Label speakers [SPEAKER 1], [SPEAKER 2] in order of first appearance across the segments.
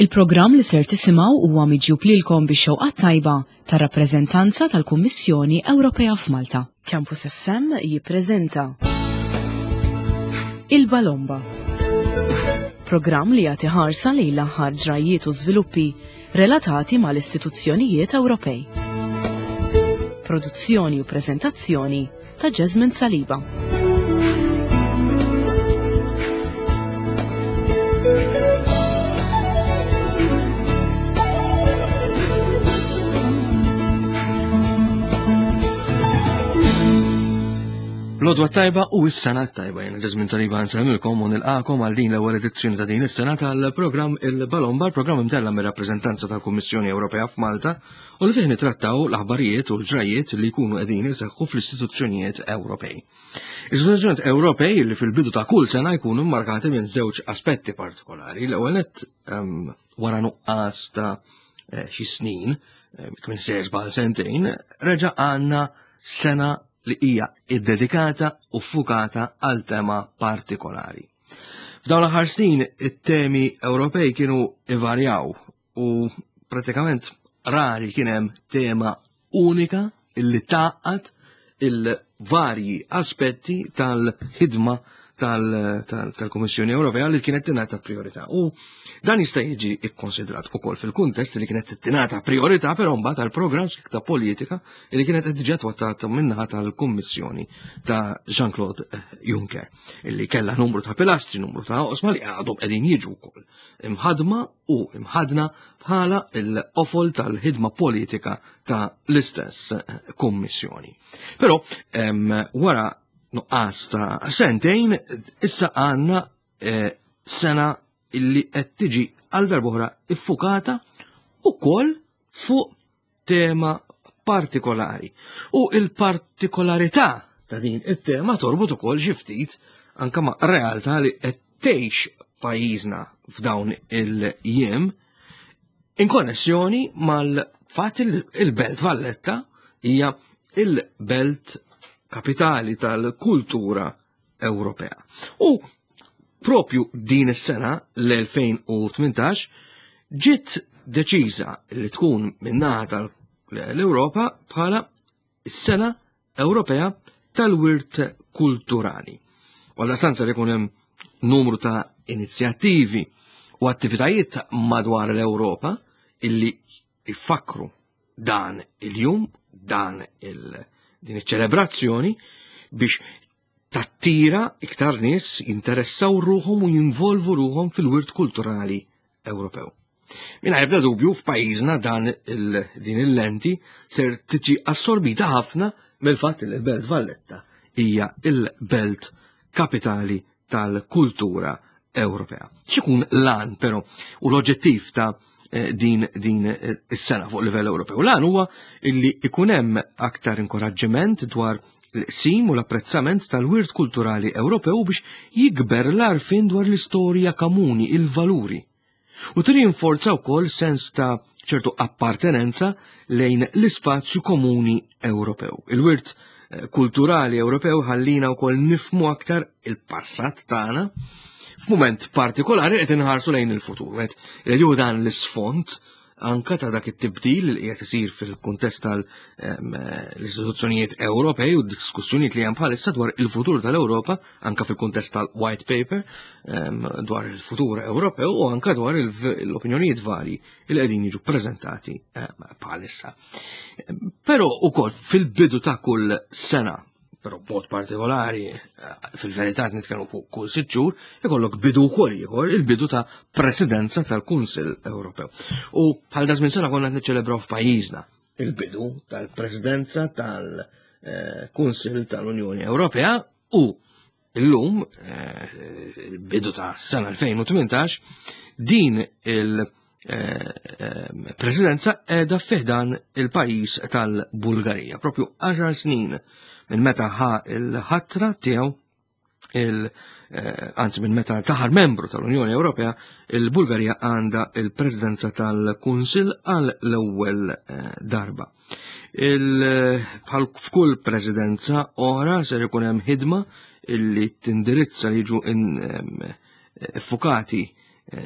[SPEAKER 1] Il-programm li ser tisimgħu huwa miġjub lilkom bix-xewqa tajba tar-rappreżentanza tal-Kummissjoni Ewropea f'Malta. Campus FM jippreżenta Il-Balomba. Programm li jagħti ħarsa lejn l-aħħar ġrajjiet u żviluppi relatati mal-istituzzjonijiet Ewropej. Produzzjoni u preżentazzjoni ta' Jasmine Saliba.
[SPEAKER 2] L-odwa tajba u s-sena tajba jena Jasmine Saliba nsemmilkom u nilqakom għal din l-ewwel edizzjoni ta' din is-sena tal-programm il-Balomba, programm imtella mir-rappreżentanza tal-Kummissjoni Ewropea f'Malta u li fih nitrattaw l-aħbarijiet u l-ġrajiet li jkunu qegħdin iseħħu fl-istituzzjonijiet Ewropej. Istituzzjonijiet Ewropej li fil-bidu ta' kull sena jkunu mmarkati minn żewġ aspetti partikolari. L-ewwel nett ehm, wara nuqqas ta' eh, xi snin, eh, kien se żball sentejn, reġa' għandna sena li hija iddedikata u fukata għal tema partikolari. F'dawn l-aħħar snin it-temi Ewropej kienu ivarjaw u pratikament rari kien hemm tema unika illi tgħaqqad il-varji aspetti tal-ħidma tal-Kummissjoni Ewropea li kienet tingħata priorità. U dan jista' jiġi ikkonsidrat ukoll fil-kuntest li kienet tingħata priorità però mbagħad għall-programm ta' politika li kienet qed diġà twattata minnaħa tal-Kummissjoni ta' Jean-Claude Juncker illi kellha numru ta' pilastri, numru ta' oqsma li għadhom qegħdin jiġu wkoll imħadma u imħadna bħala l-qofol tal-ħidma politika ta' l-istess eh, kummissjoni. Però wara nuqqas ta' sentejn, issa għandna eh, sena illi qed tiġi għal darbohra iffukata ukoll fuq tema partikolari. U il-partikolarità ta' din it-tema torbot ukoll xi ftit anke ma' realtà li qed tgħix pajjiżna f'dawn il-jiem in konnessjoni mal-fatt il-Belt Valletta hija il-belt kapitali tal-kultura Ewropea. U propju din is-sena l-2018 ġiet deċiża li tkun minnaħa tal-Ewropa bħala s-sena Ewropea tal-wirt kulturali. Għalla stanza li hemm numru ta' inizjattivi u attivitajiet madwar l-Ewropa illi jfakru dan il-jum, dan il din iċ-ċelebrazzjoni biex tattira iktar nies jinteressaw ruħhom u jinvolvu ruħhom fil-wirt kulturali Ewropew. Mingħajr ebda dubju f'pajjiżna dan il, din il-lenti ser tiġi assorbita ħafna mill-fatt li l-Belt Valletta hija il-belt kapitali tal-kultura Ewropea. X'ikun l-għan però u l-oġġettiv ta' eh, din din eh, is-sena fuq livell Ewropew. L-għan huwa illi ikun hemm aktar inkoraġġiment dwar l-qsim u l-apprezzament tal-wirt kulturali Ewropew biex jikber l-arfin dwar l-istorja komuni, il-valuri. U tirinforza wkoll sens ta' ċertu appartenenza lejn l-ispazju komuni Ewropew. Il-wirt eh, kulturali Ewropew ħallina wkoll nifmu aktar il-passat tagħna f'mument partikolari qed inħarsu lejn il-futur. Qed jieħu dan l-isfond anka ta' dak it-tibdil li qiegħed isir fil-kuntest tal-istituzzjonijiet Ewropej u d-diskussjonijiet li hemm bħalissa dwar il-futur tal-Ewropa, anka fil-kuntest tal-White Paper dwar il-futur Ewropew u anka dwar l-opinjonijiet varji li qegħdin jiġu preżentati bħalissa. Però ukoll fil-bidu ta' kull sena però b'mod partikolari eh, fil-verità nitkellmu fuq kull sitt xhur, ikollok bidu wkoll ieħor il-bidu ta' presidenza tal-Kunsill Ewropew. U bħal da żmien sena konna qed niċċelebraw f'pajjiżna il-bidu tal-presidenza tal-Kunsill tal-Unjoni Ewropea u illum, eh, il-bidu ta' sena 2018, din il-presidenza eh, eh, edha fiħdan il-pajis tal-Bulgarija. Propju 10 snin minn meta ħa il-ħatra tiegħu il anzi minn meta taħar membru tal-Unjoni Ewropea, il-Bulgarija għandha il-presidenza tal-Kunsill għal l-ewwel darba. Bħal f'kull presidenza oħra ser ikun hemm ħidma illi tindirizza li jiġu effukati.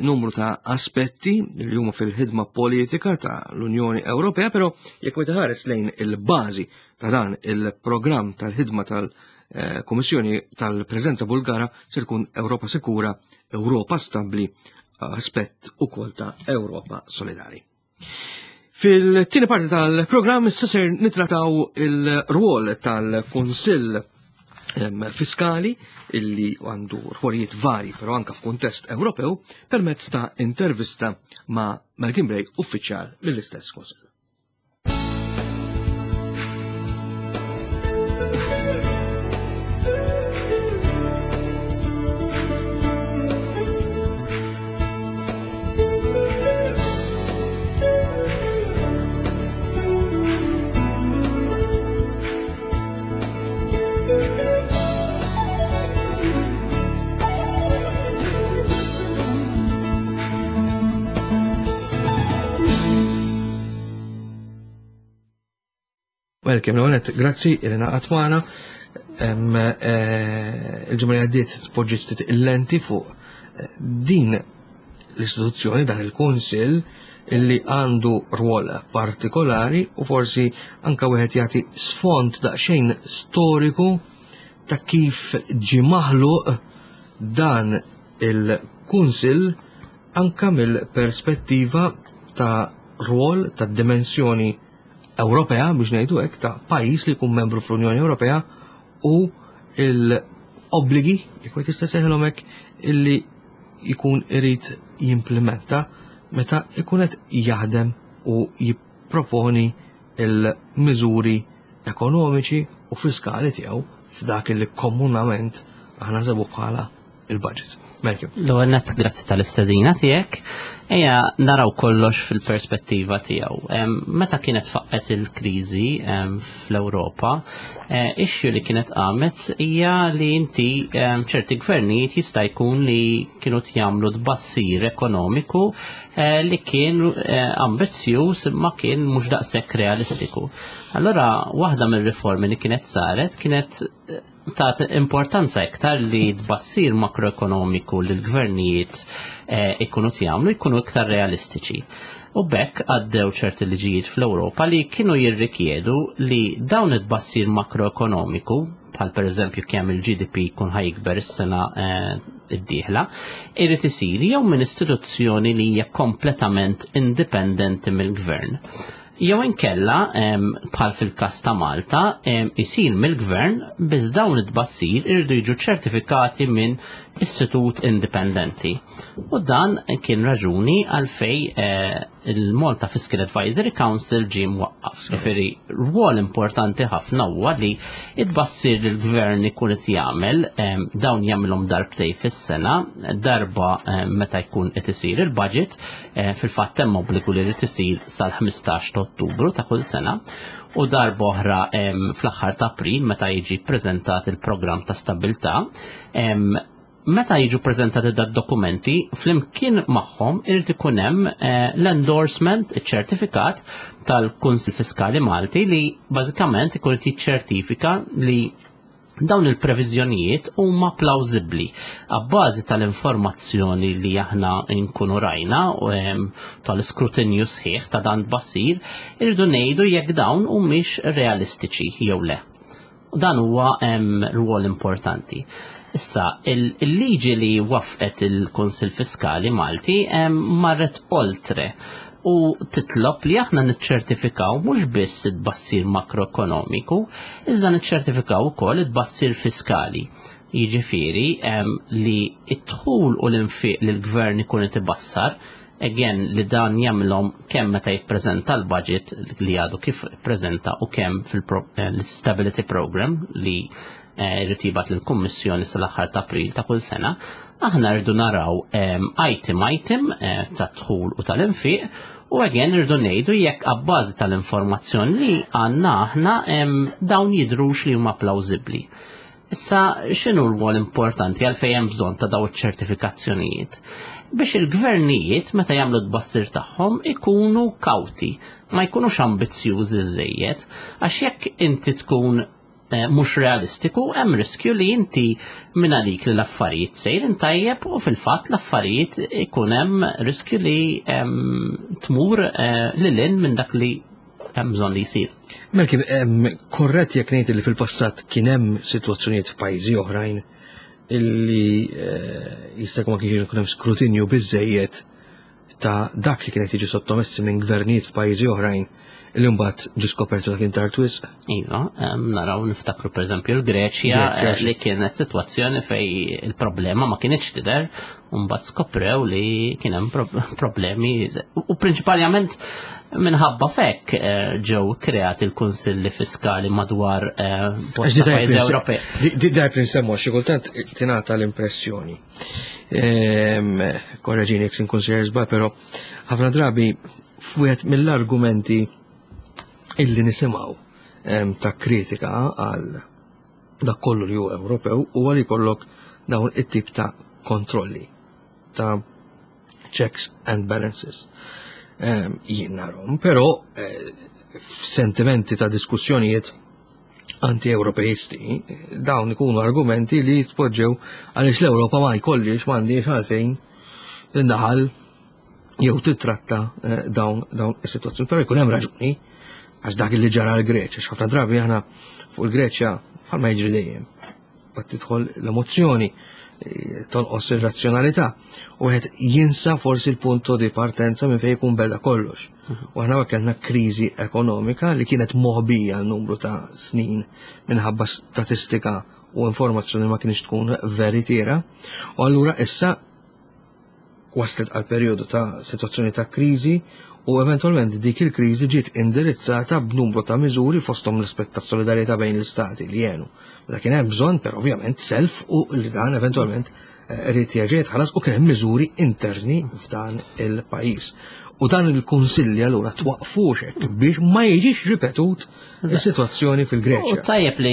[SPEAKER 2] numru ta' aspetti li huma fil-ħidma politika ta' l-Unjoni Ewropea, però jekk wieħed ħares lejn il-bażi ta' dan il-programm tal-ħidma tal-Kummissjoni tal-Preżenza Bulgara se tkun Ewropa Sikura, Ewropa Stabbli, aspett ukoll ta' Ewropa Solidari. Fil-tieni parti tal-programm issa ser nitrataw il-rwol tal-Kunsill Fiskali illi għandu rwolijiet vari, però anka f'kuntest Ewropew, permezz ta' intervista ma' Malcolm Bray, uffiċjal mill-istess Kunsill. Welcome, l-għonet, grazzi, Irena Atwana. Il-ġimgħa li għaddiet tpoġġiet ftit il-lenti fuq din l-istituzzjoni, dan il-Kunsill illi għandu rwol partikolari u forsi anka wieħed jagħti sfond daqsxejn storiku ta' kif ġie maħluq dan il-Kunsill anka mill-perspettiva ta' rwol ta' dimensjoni Ewropea biex ngħidu hekk ta' pajjiż li jkun membru fl-Unjoni Ewropea u l-obbligi, jekk wieħed jista' jsejħilhom hekk, illi jkun irid jimplementa meta jkun qed jaħdem u jipproponi il-miżuri ekonomiċi u fiskali tiegħu f'dak li komunament aħna nsebu bħala il-budget. Melkim.
[SPEAKER 3] L-ewwel nett grazzi tal-istedina tiegħek. Ejja naraw kollox fil-perspettiva tiegħu. Meta kienet faqqet il-kriżi fl-Ewropa, eh, issue li kienet qamet hija li inti ċerti gvernijiet jista' jkun li kienu jagħmlu tbassir ekonomiku eh, li kien eh, ambizzjuż imma kien mhux daqshekk realistiku. Allora waħda mir-riformi li kienet saret kienet tat importanza iktar li tbassir makroekonomiku li l-gvernijiet eh, ikunu jagħmlu jkunu iktar realistiċi. U bekk għaddew ċerti liġijiet fl-Ewropa li kienu jirrikjedu li dawn it-tbassir makroekonomiku, bħal per eżempju kemm il-GDP jkun ħajkber is-sena eh, id-dieħla, irid isir jew minn istituzzjoni li hija kompletament indipendenti mill-gvern. Jew inkella, bħal fil-każ ta' Malta, isir mill-gvern biss dawn it-tbassir iridu jiġu ċertifikati minn istitut indipendenti. U dan kien raġuni għalfej eh, il-Malta Fiscal Advisory Council ġie mwaqqaf. Ġifieri rwol importanti ħafna huwa li it-tbassir li l-gvern ikun qed jagħmel dawn jagħmilhom darbtej fis-sena, darba meta jkun qed isir il-budget Eh, fil-fatt hemm obbligu li jrid isir sal-15 ta' Ottubru ta' kull sena u darba oħra fl-aħħar ta' April meta jiġi ppreżentat il-programm ta' stabilità. Meta jiġu preżentati da dokumenti, flimkien magħhom irid ikun hemm eh, l-endorsement, iċ-ċertifikat tal-Kunsil Fiskali Malti li bażikament ikun qed jiċċertifika li Dawn il-previżjonijiet huma plawżibbli abbażi tal-informazzjoni li aħna nkunu rajna u tal-iskrutinju sħiħ ta' dan tbassir, irridu ngħidu jekk dawn humiex realistiċi jew le. U dan huwa rwol importanti. Issa, il-liġi li waffqet il-Kunsill Fiskali Malti marret oltre u titlob li aħna niċċertifikaw mhux biss it-tbassir makroekonomiku, iżda niċċertifikaw ukoll it-tbassir fiskali. Jiġifieri li d-dħul u l-infiq li l-gvern ikun qed ibassar, again li dan jagħmilhom kemm meta jippreżenta l-budget li għadu kif ippreżenta u kemm fil-stability program li jrid jibgħat lill-Kummissjoni sal-aħħar ta' April ta' kull sena, aħna rridu naraw item item eh, ta' dħul u tal-infiq u again rridu ngħidu jekk abbażi tal-informazzjoni li għandna aħna dawn jidhrux li huma plawżibbli. Issa x'inhu l-rwol importanti għalfejn hemm bżonn ta' daw iċ-ċertifikazzjonijiet? Biex il-gvernijiet meta jagħmlu t-tbassir tagħhom ikunu kawti, ma jkunux ambizzjużi żejjed, għax jekk inti tkun eh, mhux realistiku, hemm riskju li inti minn għalik li l-affarijiet sejrin tajjeb u fil-fatt l-affarijiet ikun hemm riskju li tmur eh, lil hinn minn dak li hemm bżonn li jsir.
[SPEAKER 2] Melki, korrett jekk ngħid li fil-passat kien hemm sitwazzjonijiet f'pajjiżi oħrajn illi eh, jista' jkun ma kienx ikun hemm skrutinju biżejjed ta' dak li kienet jiġi sottomessi minn gvernijiet f'pajjiżi oħrajn li mbagħad ġie skopertu dak tard wisq.
[SPEAKER 3] Iva, naraw niftakru pereżempju l-Greċja eh, li kienet sitwazzjoni fej il-problema ma kienx tidher u mbagħad skoprew li kien hemm problemi u prinċipalment minħabba fekk eh, ġew kreati l-kunsilli fiskali madwar eh, bosta pajjiżi Ewropej.
[SPEAKER 2] Di dajb li nsemmu xi kultant tingħata l-impressjoni Ehm, korreġini jekk nkun sejjer żball, però ħafna drabi f'wieħed mill-argumenti illi nisimgħu ehm, ta' kritika għal dak kollu li hu Ewropew huwa li jkollok dawn it-tip ta' kontrolli ta' checks and balances. Ehm, jien narhom, però eh, f'sentimenti ta' diskussjonijiet anti-Ewropeisti, dawn ikunu argumenti li jitpoġġew għaliex l-Ewropa ma jkollix m'għandix għalfejn tindaħal jew titratta eh, dawn dawn is-sitwazzjoni. Però jkun hemm raġuni għax dak li ġara l-Greċja, x'ħafna drabi aħna fuq il-Greċja bħalma jiġri dejjem. Bat tidħol l-emozzjoni, eh, tonqos ir-razzjonalità u wieħed jinsa forsi l-punto di partenza minn fejn jkun beda kollox. U aħna kellna kriżi ekonomika li kienet moħbija l-numru ta' snin minħabba statistika u informazzjoni ma kienx tkun veritiera. U allura issa waslet għal perjodu ta' situazzjoni ta' kriżi u eventualment dik il-kriżi ġiet indirizzata b'numru ta' miżuri fosthom l-aspett ta' solidarjetà bejn l-istati li jenu. Meta kien hemm bżonn, però ovvjament self u li dan eventualment eh, irid jerġa' jitħallas u kien hemm miżuri interni f'dan il-pajjiż. U dan il-kunsilli allura twaqfux hekk biex ma jiġix ripetut is-sitwazzjoni fil-Greċja.
[SPEAKER 3] U tajjeb li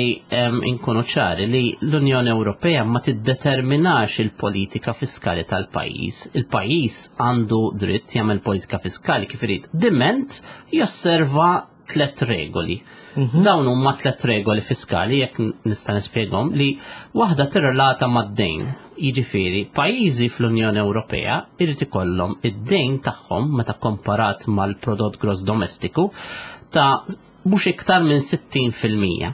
[SPEAKER 3] inkunu ċari li l-Unjoni Ewropea ma tiddeterminax il-politika fiskali tal-pajjiż. Il-pajjiż għandu dritt jagħmel politika fiskali kif irid. Diment josserva tlet regoli. Mhm. Dawn huma tlet regoli fiskali jekk nista' nispjegahom li waħda tirrelata mad-dejn. Jiġifieri, pajjiżi fl-Unjoni Ewropea irid ikollhom id-dejn tagħhom meta komparat mal-prodott gross domestiku ta' mhux iktar minn 60%.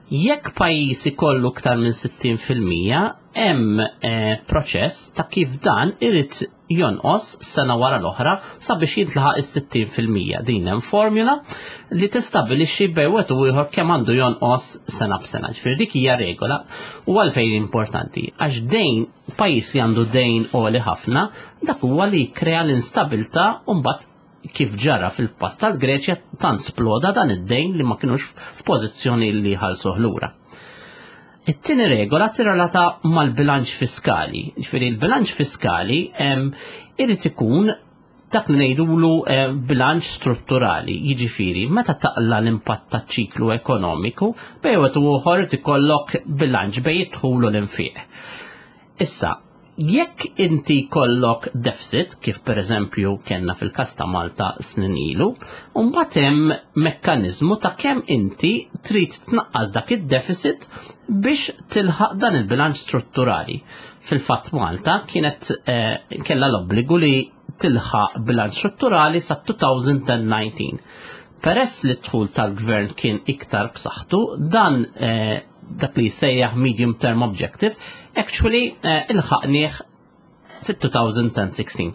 [SPEAKER 3] Jekk pajjiż ikollu iktar minn 60% hemm eh, proċess ta' kif dan irid jonqos sena wara l-oħra sabiex jintlaħaq is-60%. Din hemm formula li tistabbilixxi bejn wieħed u ieħor kemm għandu jonqos sena b'sena. Ġifieri dik hija regola u għalfejn importanti għax dejn pajjiż li għandu dejn għoli ħafna dak huwa li jikkrea l-instabilità u mbagħad kif ġara fil-pass tal-Greċja tant sploda dan id-dejn li ma kinux f'pożizzjoni li jħallsuh lura. It-tieni regola tirrelata mal-bilanċ fiskali. Ġifieri l-bilanċ fiskali irid ikun dak li ngħidulu bilanċ strutturali, jiġifieri meta taqla l-impatt taċ-ċiklu ekonomiku, bejn wieħed u ieħor ikollok bilanċ bejn id-dħul u l-infiq. Issa, jekk inti jkollok deficit, kif pereżempju kellna fil-każ ta' Malta snin ilu, mbagħad hemm mekkaniżmu ta' kemm inti trid tnaqqas dak id-deficit biex tilħaq dan il-bilanċ strutturali. Fil-fatt Malta kienet eh, kellha l-obbligu li tilħaq bilanċ strutturali sa 2019. Peress li d-dħul tal-gvern kien iktar b'saħħtu, dan eh, dak li jissejjaħ medium term objective, actually eh, ilħaqnieh fit-2016.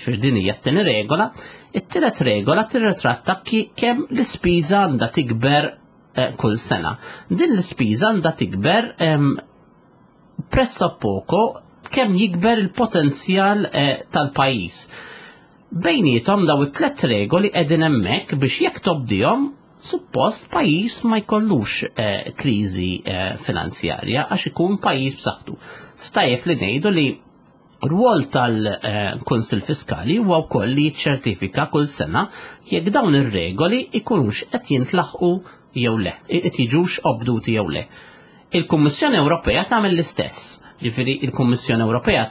[SPEAKER 3] Xfir din hija t-tieni regola. It-tielet regola tirritratta kemm l-ispiża għandha tikber eh, kull sena. Din l-ispiża għandha tikber pressa poco kemm jikber il-potenzjal eh, tal-pajjiż. Bejnietom daw it-tlet regoli qegħdin hemmhekk biex jekk tobdihom suppost pajjiż ma jkollux eh, kriżi eh, finanzjarja għax ikun pajjiż b'saħħtu. Stajjeb li ngħidu li rwol tal-Kunsil Fiskali huwa wkoll li jiċċertifika kull sena jekk dawn ir-regoli ikunux qed jintlaħqu jew le, qed jiġux obduti jew le. Il-Kummissjoni Ewropea tagħmel l-istess. Ġifieri il-Kummissjoni Ewropea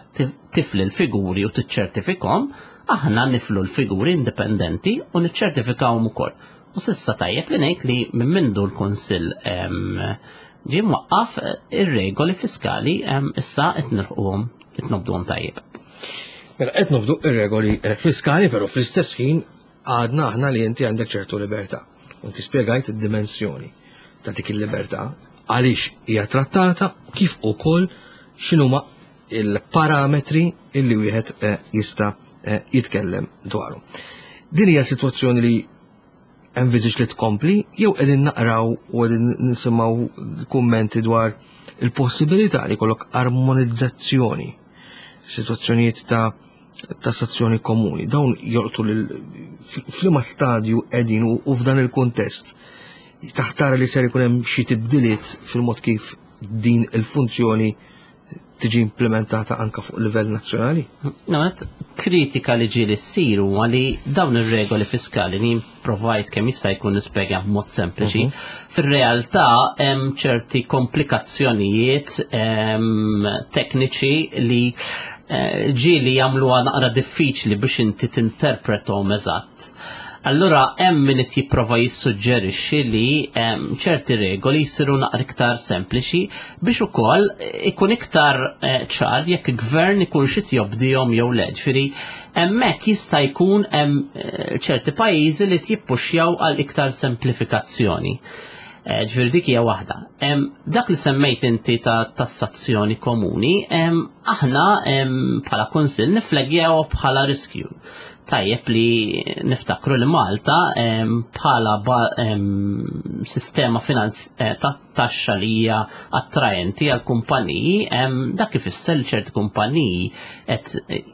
[SPEAKER 3] tifli l-figuri u tiċċertifikhom, aħna niflu l-figuri indipendenti u niċċertifikawhom ukoll. U s'issa tajjeb li ngħid li minn mindu l-Kunsill ġie mwaqqaf ir-regoli fiskali issa qed nilħquhom qed nobduhom tajjeb.
[SPEAKER 2] Mela qed nobdu ir-regoli eh, fiskali, però fl-istess ħin għadna aħna li inti għandek ċertu libertà. U inti spjegajt id-dimensjoni ta' dik il-libertà għaliex hija trattata kif ukoll x'inhuma il-parametri illi wieħed eh, jista' eh, jitkellem dwaru. Din hija sitwazzjoni li enviżiġ li tkompli jew qegħdin naqraw u qegħdin nisimgħu kummenti dwar il-possibilità li jkollok armonizzazzjoni situazzjonijiet ta' tassazzjoni komuni. Dawn jolqtu lil f'liema stadju qegħdin u f'dan il-kuntest taħtar li ser ikun hemm xi tibdiliet fil-mod kif din il-funzjoni tiġi implementata anka fuq livell nazzjonali?
[SPEAKER 3] Namet, kritika li ġieli ssir huwa li dawn ir-regoli fiskali li provajt kemm jista' jkun nispjega b'mod sempliċi, mhm. fir-realtà hemm ċerti komplikazzjonijiet tekniċi li eh, ġieli jagħmluha naqra diffiċli biex inti tinterpretom eżatt. Allura hemm min qed jipprova jissuġġerixxi li ċerti regoli jsiru naqra iktar sempliċi biex ukoll ikun iktar eh, ċar jekk gvern ikun xi jobdihom jew le. Ġifieri hemmhekk jista' jkun hemm eh, ċerti pajjiżi li jippuxjaw għal iktar semplifikazzjoni. Eh, ġifieri dik hija waħda. Dak li semmejt inti ta' tassazzjoni komuni, aħna bħala kunsill nifleggjaw bħala riskju tajjeb li niftakru li Malta bħala sistema eh, ta' taxxa li hija attraenti għal kumpaniji, dak ifisser li ċerti kumpaniji qed eh,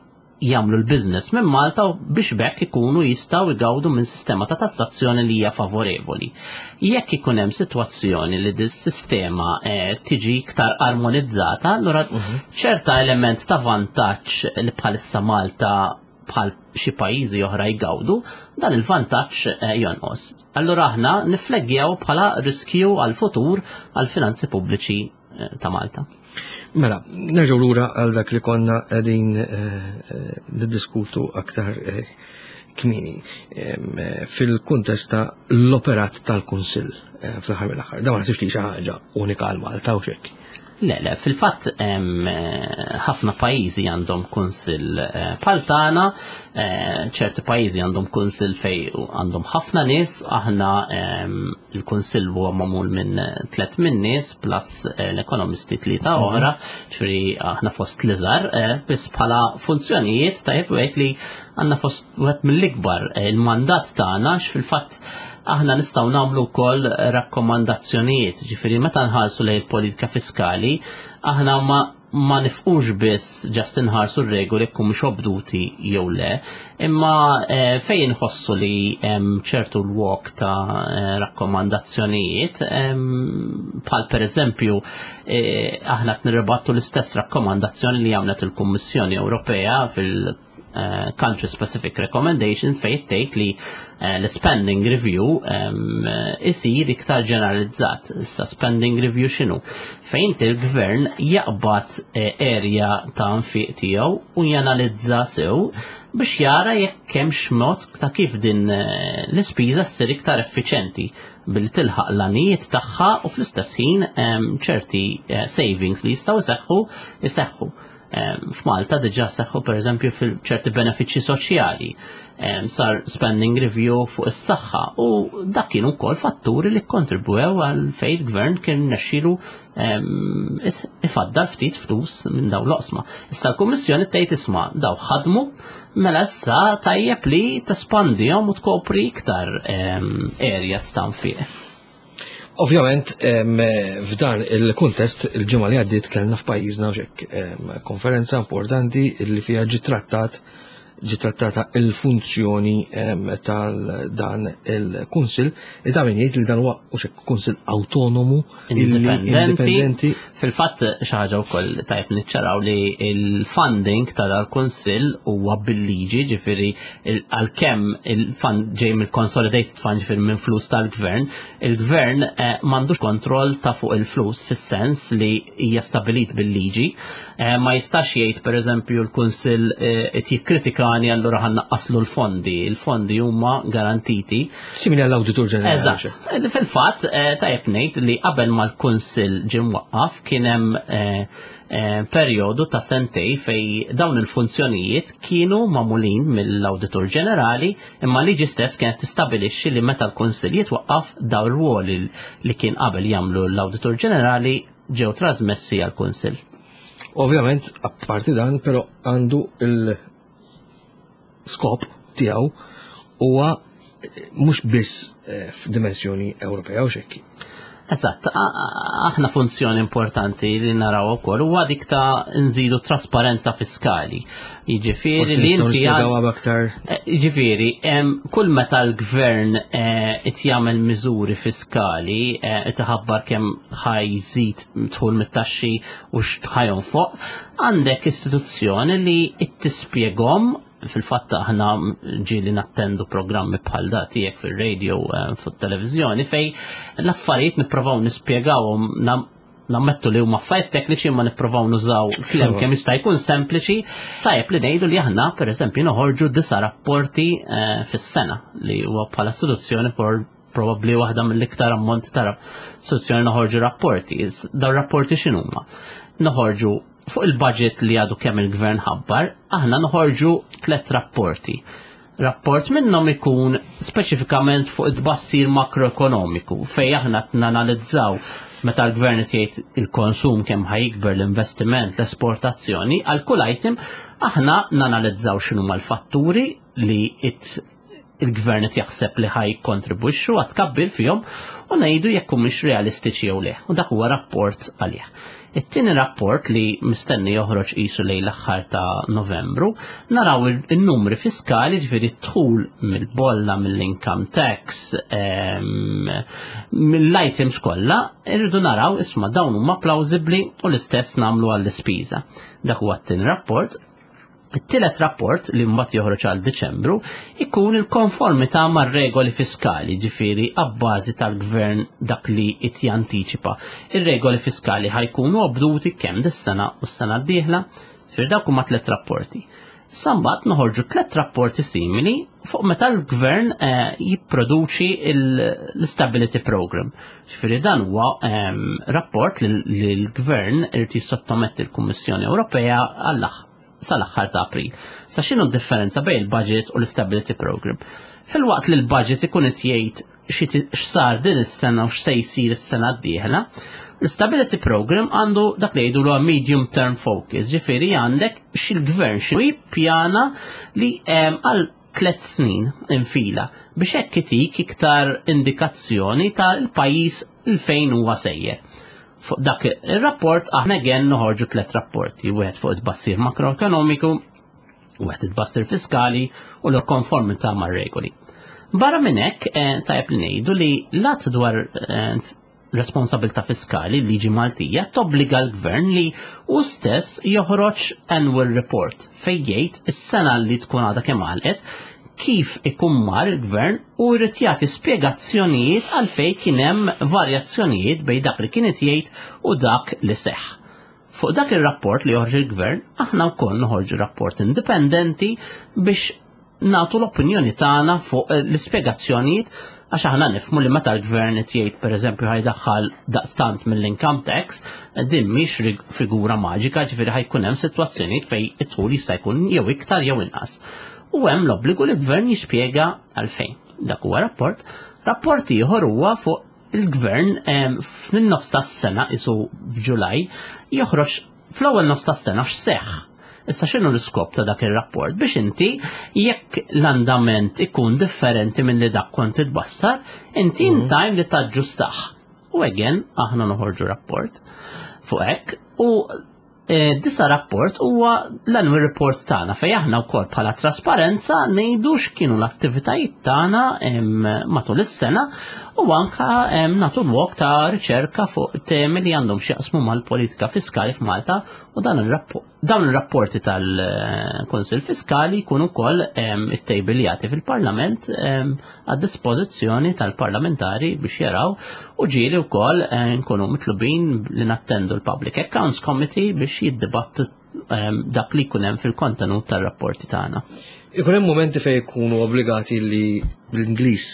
[SPEAKER 3] jagħmlu l-business minn Malta biex bekk ikunu jistgħu jgawdu minn sistema ta' tassazzjoni li hija favorevoli. Jekk ikun hemm sitwazzjoni li dis-sistema eh, tiġi iktar armonizzata, allura mhm. ċerta element ta' vantaġġ li bħalissa Malta bħal xi pajjiżi oħra jgawdu, dan il-vantaġġ eh, jonqos. Allura aħna nifleggjaw bħala riskju għal-futur għal-finanzi pubbliċi eh, ta' Malta.
[SPEAKER 2] Mela, nerġgħu lura għal dak li konna qegħdin eh, niddiskutu aktar kmini fil-kuntest ta' l-operat tal-Kunsill fl-aħħar mill-aħħar. Dan ma naħsibx li xi ħaġa unika għal Malta u xekk.
[SPEAKER 3] Le, le, fil-fatt ħafna pajjiżi għandhom kunsill eh, bħal tagħna, eh, ċerti pajjiżi għandhom kunsill fej għandhom ħafna nies, aħna il-kunsill huwa magħmul minn tliet minn nies plus eh, l-ekonomisti tlieta mhm. oħra, ġifieri aħna fost l-iżgħar, biss bħala funzjonijiet tajjeb wieħed li għandna fost wieħed mill-ikbar il-mandat tagħna x'fil-fatt Aħna nistgħu nagħmlu wkoll rakkomandazzjonijiet, ġifieri meta nħarsu lejn il-politika fiskali, aħna ma ma nifqux biss ġast inħarsu r-regoli jekk mhux obduti jew le, imma eh, fejn inħossu li hemm ċertu l-wok ta' eh, rakkomandazzjonijiet, bħal pereżempju eh, aħna qed nirribattu l-istess rakkomandazzjoni li għamlet il-Kummissjoni Ewropea fil- Eh, country specific recommendation fejn tgħid li eh, l-spending review eh, isir iktar ġeneralizzat. Issa spending review x'inhu? Fejn il-gvern jaqbad area ta' nfiq tiegħu u janalizza sew biex jara jekk hemmx mod ta' kif din l-ispiża ssir iktar effiċenti billi tilħaq l-għanijiet tagħha u fl-istess ħin ċerti savings li jistgħu jseħħu jseħħu. F'Malta diġà seħħu pereżempju fil-ċerti benefiċċji soċjali, sar spending review fuq is-saħħa u dak kienu wkoll fatturi li kontribwew għal fejn il-gvern kien nexxielu ifaddal ftit flus minn dawn l-oqsma. Issa l-Kummissjoni tgħid isma' daw ħadmu mela issa tajjeb li tespandihom u tkopri iktar areas ta' nfiq.
[SPEAKER 2] Ovvjament, f'dan il-kuntest, il-ġimgħa li għaddiet kellna f'pajjiżna xek konferenza importanti li fiha ġi trattat ġi trattata il-funzjoni tal-dan il-kunsil, li ta' min jgħid li dan huwa kunsil autonomu,
[SPEAKER 3] indipendenti. Fil-fatt xi ħaġa wkoll tajb niċċaraw li il-funding ta' dal-kunsill huwa bil-liġi, ġifieri għalkemm il-fund ġej mill-consolidated fund ġifieri minn flus tal-gvern, il-gvern eh, m'għandux kontroll ta' fuq il-flus fis-sens li hija stabilit bil-liġi. Eh, ma jistax jgħid pereżempju l-kunsill eh, qed jikkritika ġudikani allura ħa nnaqqaslu l-fondi. Il-fondi huma garantiti.
[SPEAKER 2] Simili għall-Awditur Ġenerali.
[SPEAKER 3] Eżatt. Fil-fatt, eh, tajjeb ngħid li qabel ma l-Kunsill ġie mwaqqaf kien hemm eh, eh, perjodu ta' sentej fej dawn il-funzjonijiet kienu magħmulin mill-Awditur Ġenerali imma liġi stess kienet tistabilixxi li meta l-Kunsill jitwaqqaf dawn ir-rwoli li kien qabel jagħmlu l-Awditur Ġenerali ġew trasmessi għall-Kunsill.
[SPEAKER 2] Ovvjament, apparti dan, però għandu il-skop tiegħu huwa mhux biss eh, f'dimensjoni Ewropea u xekki.
[SPEAKER 3] Eżatt, aħna funzjoni importanti li naraw ukoll huwa dik ta' nżidu trasparenza fiskali. Jiġifieri
[SPEAKER 2] li inti aktar.
[SPEAKER 3] Eh, jiġifieri, kull meta l-gvern eh, qed jagħmel miżuri fiskali eh, qed iħabbar kemm ħajżid dħul mit-taxxi u x'ħajonfoq, għandek istituzzjoni li tispjegahom fil-fatt aħna ġieli nattendu programmi bħal da tiegħek fil-radio fuq-televiżjoni fej l-affarijiet nipprovaw nispjegawhom nammettu li huma affarijiet tekniċi imma nippruvaw nużaw kliem kemm jista' jkun sempliċi. Tajjeb li ngħidu li aħna pereżempju noħorġu disa' rapporti eh, fis-sena li huwa bħala istituzzjoni probabbli waħda mill-iktar ammont ta' istituzzjoni noħorġu rapporti. Dawn rapporti x'inhuma? Noħorġu fuq il-budget li għadu kemm il-gvern ħabbar, aħna noħorġu tlet rapporti. Rapport minnhom ikun speċifikament fuq it-tbassir makroekonomiku fej aħna nanalizzaw meta l-gvern qed jgħid il-konsum kemm ħajkber l-investiment, l-esportazzjoni, għal kull item aħna nanalizzaw x'inhuma l-fatturi li il-gvern qed jaħseb li ħaj kontribwixxu għat tkabbir fihom u ngħidu jekk humiex realistiċi jew le. U dak huwa rapport għalih. It-tieni rapport li mistenni joħroġ qisu lejn l-aħħar ta' Novembru, naraw il-numri fiskali ġifieri dħul mill-bolla, mill-income tax, mill-items kollha, irridu naraw isma' dawn huma plawsibbli u l-istess nagħmlu għall-ispiża. Dak huwa t-tieni rapport. It-tielet rapport li mbagħad joħroġ għal Diċembru ikun il-konformità mar-regoli fiskali, ġifieri abbażi tal-gvern dak li qed jantiċipa. Ir-regoli fiskali ħajkunu obduti kemm dis-sena u s-sena d-dieħla, ġifieri dawk huma tliet rapporti. Issa mbagħad noħorġu tliet rapporti simili fuq meta l-gvern eh, jipproduċi l-Stability Program. Ġifieri dan huwa ehm, rapport li l-gvern irid jissottometti l-Kummissjoni Ewropea għall sal-aħħar ta' April. Sa x'inhu d-differenza bejn il-budget u l-Stability Program? Filwaqt li l-budget ikun qed jgħid x'sar din is-sena u x'se jsir is-sena d-dieħla, l-Stability Program għandu dak li jgħidu l medium term focus, ġifieri għandek xil-gvern xi jippjana li għal tlet snin infila biex hekk itik iktar indikazzjoni tal-pajjiż il fejn huwa sejjer. Fuq dak ir-rapport aħna again noħorġu tlet rapporti, wieħed fuq it-bassir makroekonomiku, wieħed it-bassir fiskali u l-konformità mar-regoli. Barra minn hekk, eh, tajjeb li ngħidu li lat dwar eh, responsabilità fiskali, liġi Maltija, tobbliga l-gvern li u stess joħroġ annual report fejn jgħid is-sena li tkun għadha kemm għalqet kif ikun mar il-gvern u jrid jagħti spjegazzjonijiet għalfejn kien hemm varjazzjonijiet bejn dak li kien jgħid u dak li seħħ. Fuq dak ir-rapport li joħroġ il-gvern, aħna wkoll noħorġu rapport indipendenti biex nagħtu l-opinjoni tagħna fuq eh, l-ispjegazzjonijiet għax aħna nifmu li meta l-gvern qed jgħid pereżempju ħajdaħħal daqstant mill-income tax, din mhix figura maġika, ġifieri ħajkun hemm sitwazzjonijiet fejn it-tul jista' jkun jew iktar jew inqas. U hemm l-obbligu li l-gvern jispjega għalfejn. Dak huwa rapport. Rapport ieħor huwa fuq il-gvern fin-nofs tas-sena isu f'Ġulaj joħroġ fl-ewwel nofs tas-sena x'seħħ. Issa x'inhu l-iskop ta' dak ir-rapport biex inti jekk l-andament ikun differenti minn li dak kont titbassar, inti in time li taġġustah. U again aħna noħorġu rapport fuq hekk u eh, disa rapport huwa l-annual report tagħna fejn aħna wkoll bħala trasparenza ngħidu x'kienu l-attivitajiet tagħna matul is-sena u anka nagħtu lok ta' riċerka fuq temi li għandhom x'jaqsmu mal-politika fiskali f'Malta u dan ir-rapport Dawn ir-rapporti tal-Kunsill Fiskali jkunu wkoll ittejbiljati fil-Parlament għad dispożizzjoni tal-parlamentari biex jaraw u ġieli wkoll nkunu mitlubin li nattendu l-Public Accounts Committee biex jiddibattu dak li jkun hemm fil-kontenut tar-rapporti tagħna.
[SPEAKER 2] Ikun hemm momenti fejn ikunu obbligati li l-Ingliż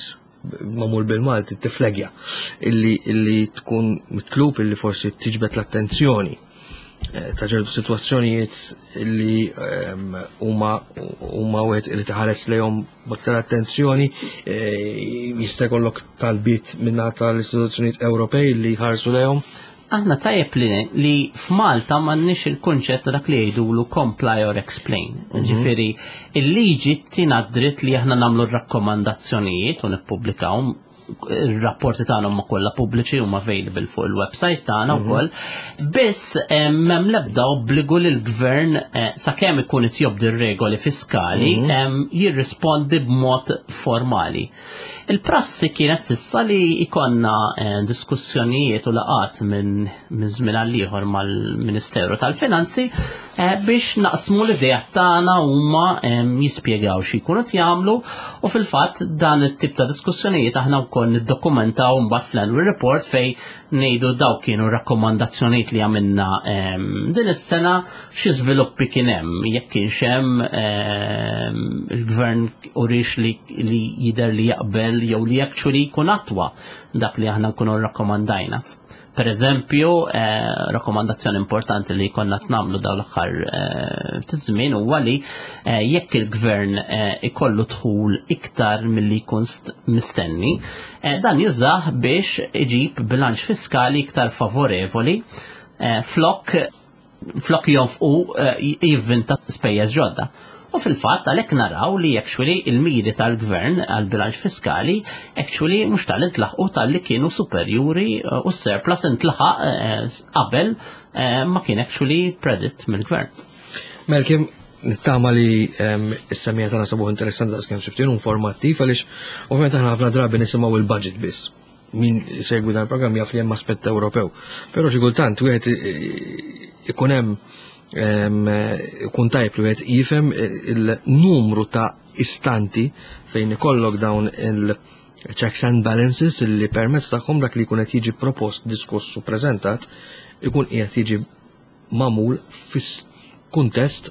[SPEAKER 2] magħmul bil-Malti tiflegja illi illi tkun mitlub illi forsi tiġbed l-attenzjoni eh, ta' ċertu sitwazzjonijiet illi ehm, huma huma wieħed li taħares lejhom b'aktar attenzjoni eh, jista' jkollok talbiet minna tal-istituzzjonijiet Ewropej li jħarsu lejhom.
[SPEAKER 3] Aħna tajjeb li li f'Malta m'għandniex il-kunċett ta' dak li jgħidulu comply or explain. Ġifieri, il-liġi tina dritt li aħna nagħmlu r-rakkomandazzjonijiet u nippubblikawhom il-rapporti tagħna huma kollha pubbliċi huma available fuq il-website tagħna mhm. wkoll. Biss eh, m'hemm l-ebda obbligu li l-gvern eh, sakemm ikun qed jobdi r-regoli fiskali mhm. jirrispondi b'mod formali. Il-prassi kienet sissa li ikonna eh, diskussjonijiet u laqat minn żmien għal ieħor mal-Ministeru tal-Finanzi eh, biex naqsmu l-idea tagħna huma eh, jispjegaw xi jkunu qed jagħmlu u fil-fatt dan it-tip ta' diskussjonijiet aħna wkoll niddokumentaw mbagħad fl-annual report fej ngħidu daw kienu rakkomandazzjonijiet li għamilna ehm, din is-sena xi żviluppi kien hemm jekk kienx hemm ehm, il-gvern urix li, li jidher li jaqbel jew li actually jkun attwa dak li aħna nkunu rrakkomandajna. Per eżempju, eh, rakkomandazzjoni importanti li konna tnamlu daw l-aħħar eh, ftit żmien huwa li eh, jekk il-gvern eh, ikollu dħul iktar milli jkun mistenni, eh, dan jużah biex iġib bilanċ fiskali iktar favorevoli eh, flok flok jonfqu eh, jivvinta spejjeż ġodda. U fil-fatt għalhekk naraw li actually il-miri tal-gvern għal bilanċ fiskali actually mhux tal intlaħqu tal-li kienu superjuri eh, u s-surplus intlaħaq eh, qabel ma kien actually predict mill-gvern.
[SPEAKER 2] Melkim, nittama li ehm, s-semija tagħna sabuħ interessanti daqs kemm sibtin informattiv għaliex ovvjament aħna ħafna drabi nisimgħu il-budget biss min segwi dan il-programm jaf li hemm aspett Ewropew. Però xi kultant wieħed ikun hemm ikun tajb li wieħed jifhem il-numru ta' istanti fejn ikollok dawn il- checks and balances li permezz tagħhom dak li jkun qed jiġi propost, diskuss u preżentat ikun qiegħed jiġi magħmul fis-kuntest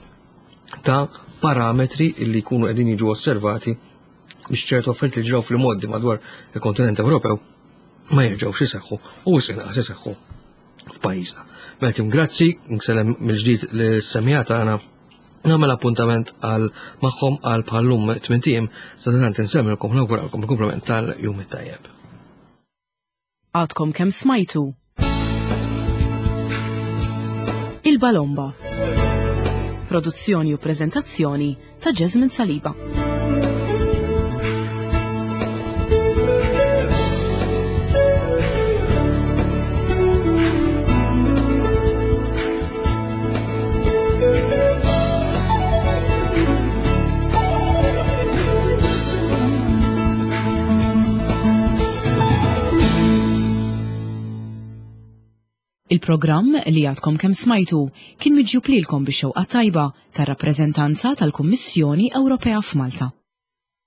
[SPEAKER 2] ta' parametri li jkunu qegħdin jiġu osservati biex ċertu affarijiet li ġraw fil-modi madwar il-kontinent Ewropew ma jerġgħux iseħħu u wisq inqas iseħħu f'pajjiżna. Malcolm, grazzi, nsellem mill-ġdid lis-semija tagħna nagħmel appuntament għal magħhom għal bħallum tmien sa tant insemmilkom nawguralkom il-kumplament tal-jum it-tajjeb.
[SPEAKER 1] Għadkom kemm smajtu Il-Balomba. Produzzjoni u preżentazzjoni ta' Jasmine Saliba. Il-programm li għadkom kemm smajtu kien miġjub lilkom bix-xewqa tajba tar-rappreżentanza tal-Kummissjoni Ewropea f'Malta.